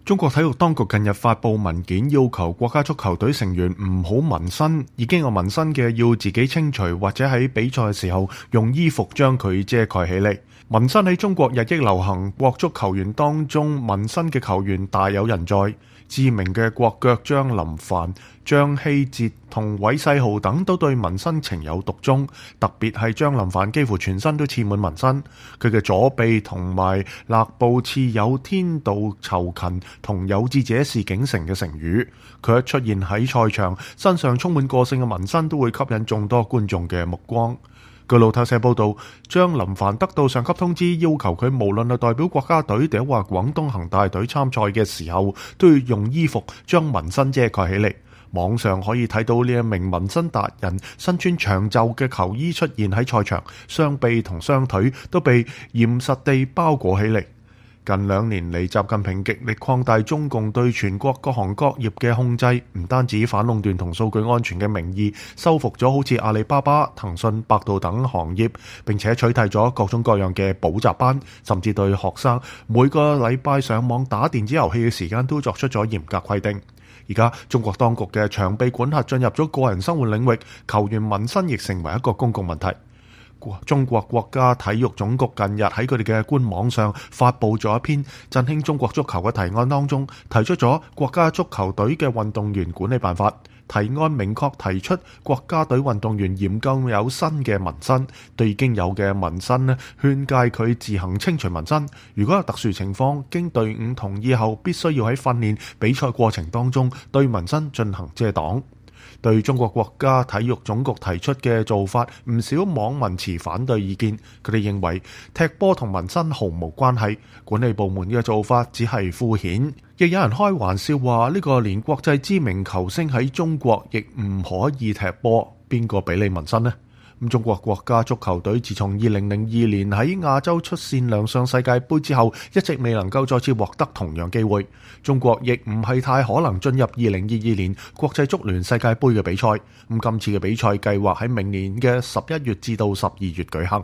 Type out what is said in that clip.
中國體育當局近日發布文件，要求國家足球隊成員唔好紋身，已經有紋身嘅要自己清除，或者喺比賽嘅時候用衣服將佢遮蓋起嚟。紋身喺中國日益流行，國足球員當中紋身嘅球員大有人在。知名嘅國腳張林凡、張稀哲同韋世豪等都對紋身情有獨鍾，特別係張林凡幾乎全身都刺滿紋身，佢嘅左臂同埋肋部刺有天道酬勤同有志者事竟成嘅成語。佢一出現喺賽場，身上充滿個性嘅紋身都會吸引眾多觀眾嘅目光。據路透社報道，張林凡得到上級通知，要求佢無論係代表國家隊定話廣東恒大隊參賽嘅時候，都要用衣服將紋身遮蓋起嚟。網上可以睇到呢一名紋身達人身穿長袖嘅球衣出現喺賽場，雙臂同雙腿都被嚴實地包裹起嚟。近2年嚟，習近平極力擴大中共對全國各行各業嘅控制，唔單止反壟斷同數據安全嘅名義收復咗好似阿里巴巴、騰訊、百度等行業，並且取締咗各種各樣嘅補習班，甚至對學生每個禮拜上網打電子遊戲嘅時間都作出咗嚴格規定。而家中國當局嘅長臂管轄進入咗個人生活領域，球員紋身亦成為一個公共問題。中國國家體育總局近日喺佢哋嘅官網上發布咗一篇振興中國足球嘅提案，當中提出咗國家足球隊嘅運動員管理辦法。提案明確提出國家隊運動員嚴禁有新嘅紋身，對已經有嘅紋身勸誡佢自行清除紋身。如果有特殊情況，經隊伍同意後，必須要喺訓練比賽過程當中對紋身進行遮擋。對中國國家體育總局提出嘅做法，唔少網民持反對意見。佢哋認為踢波同紋身毫無關係，管理部門嘅做法只係敷衍。亦有人開玩笑話，呢個連國際知名球星喺中國亦唔可以踢波，邊個俾你紋身呢？中國國家足球隊自從2002年喺亞洲出線亮相世界盃之後，一直未能夠再次獲得同樣機會。中國亦唔係太可能進入2022年國際足聯世界盃嘅比賽。今次嘅比賽計劃喺明年嘅11月至到12月舉行。